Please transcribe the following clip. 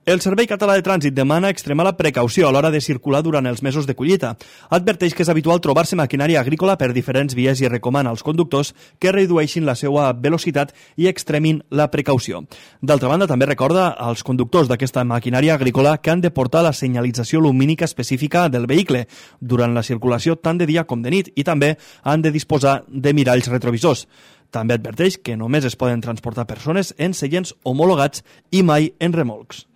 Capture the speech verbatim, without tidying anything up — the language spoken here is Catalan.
El Servei Català de Trànsit demana extremar la precaució a l'hora de circular durant els mesos de collita. Adverteix que és habitual trobar-se maquinària agrícola per diferents vies i recomana als conductors que redueixin la seva velocitat i extremin la precaució. D'altra banda, també recorda als conductors d'aquesta maquinària agrícola que han de portar la senyalització lumínica específica del vehicle durant la circulació tant de dia com de nit i també han de disposar de miralls retrovisors. També adverteix que només es poden transportar persones en seients homologats i mai en remolcs.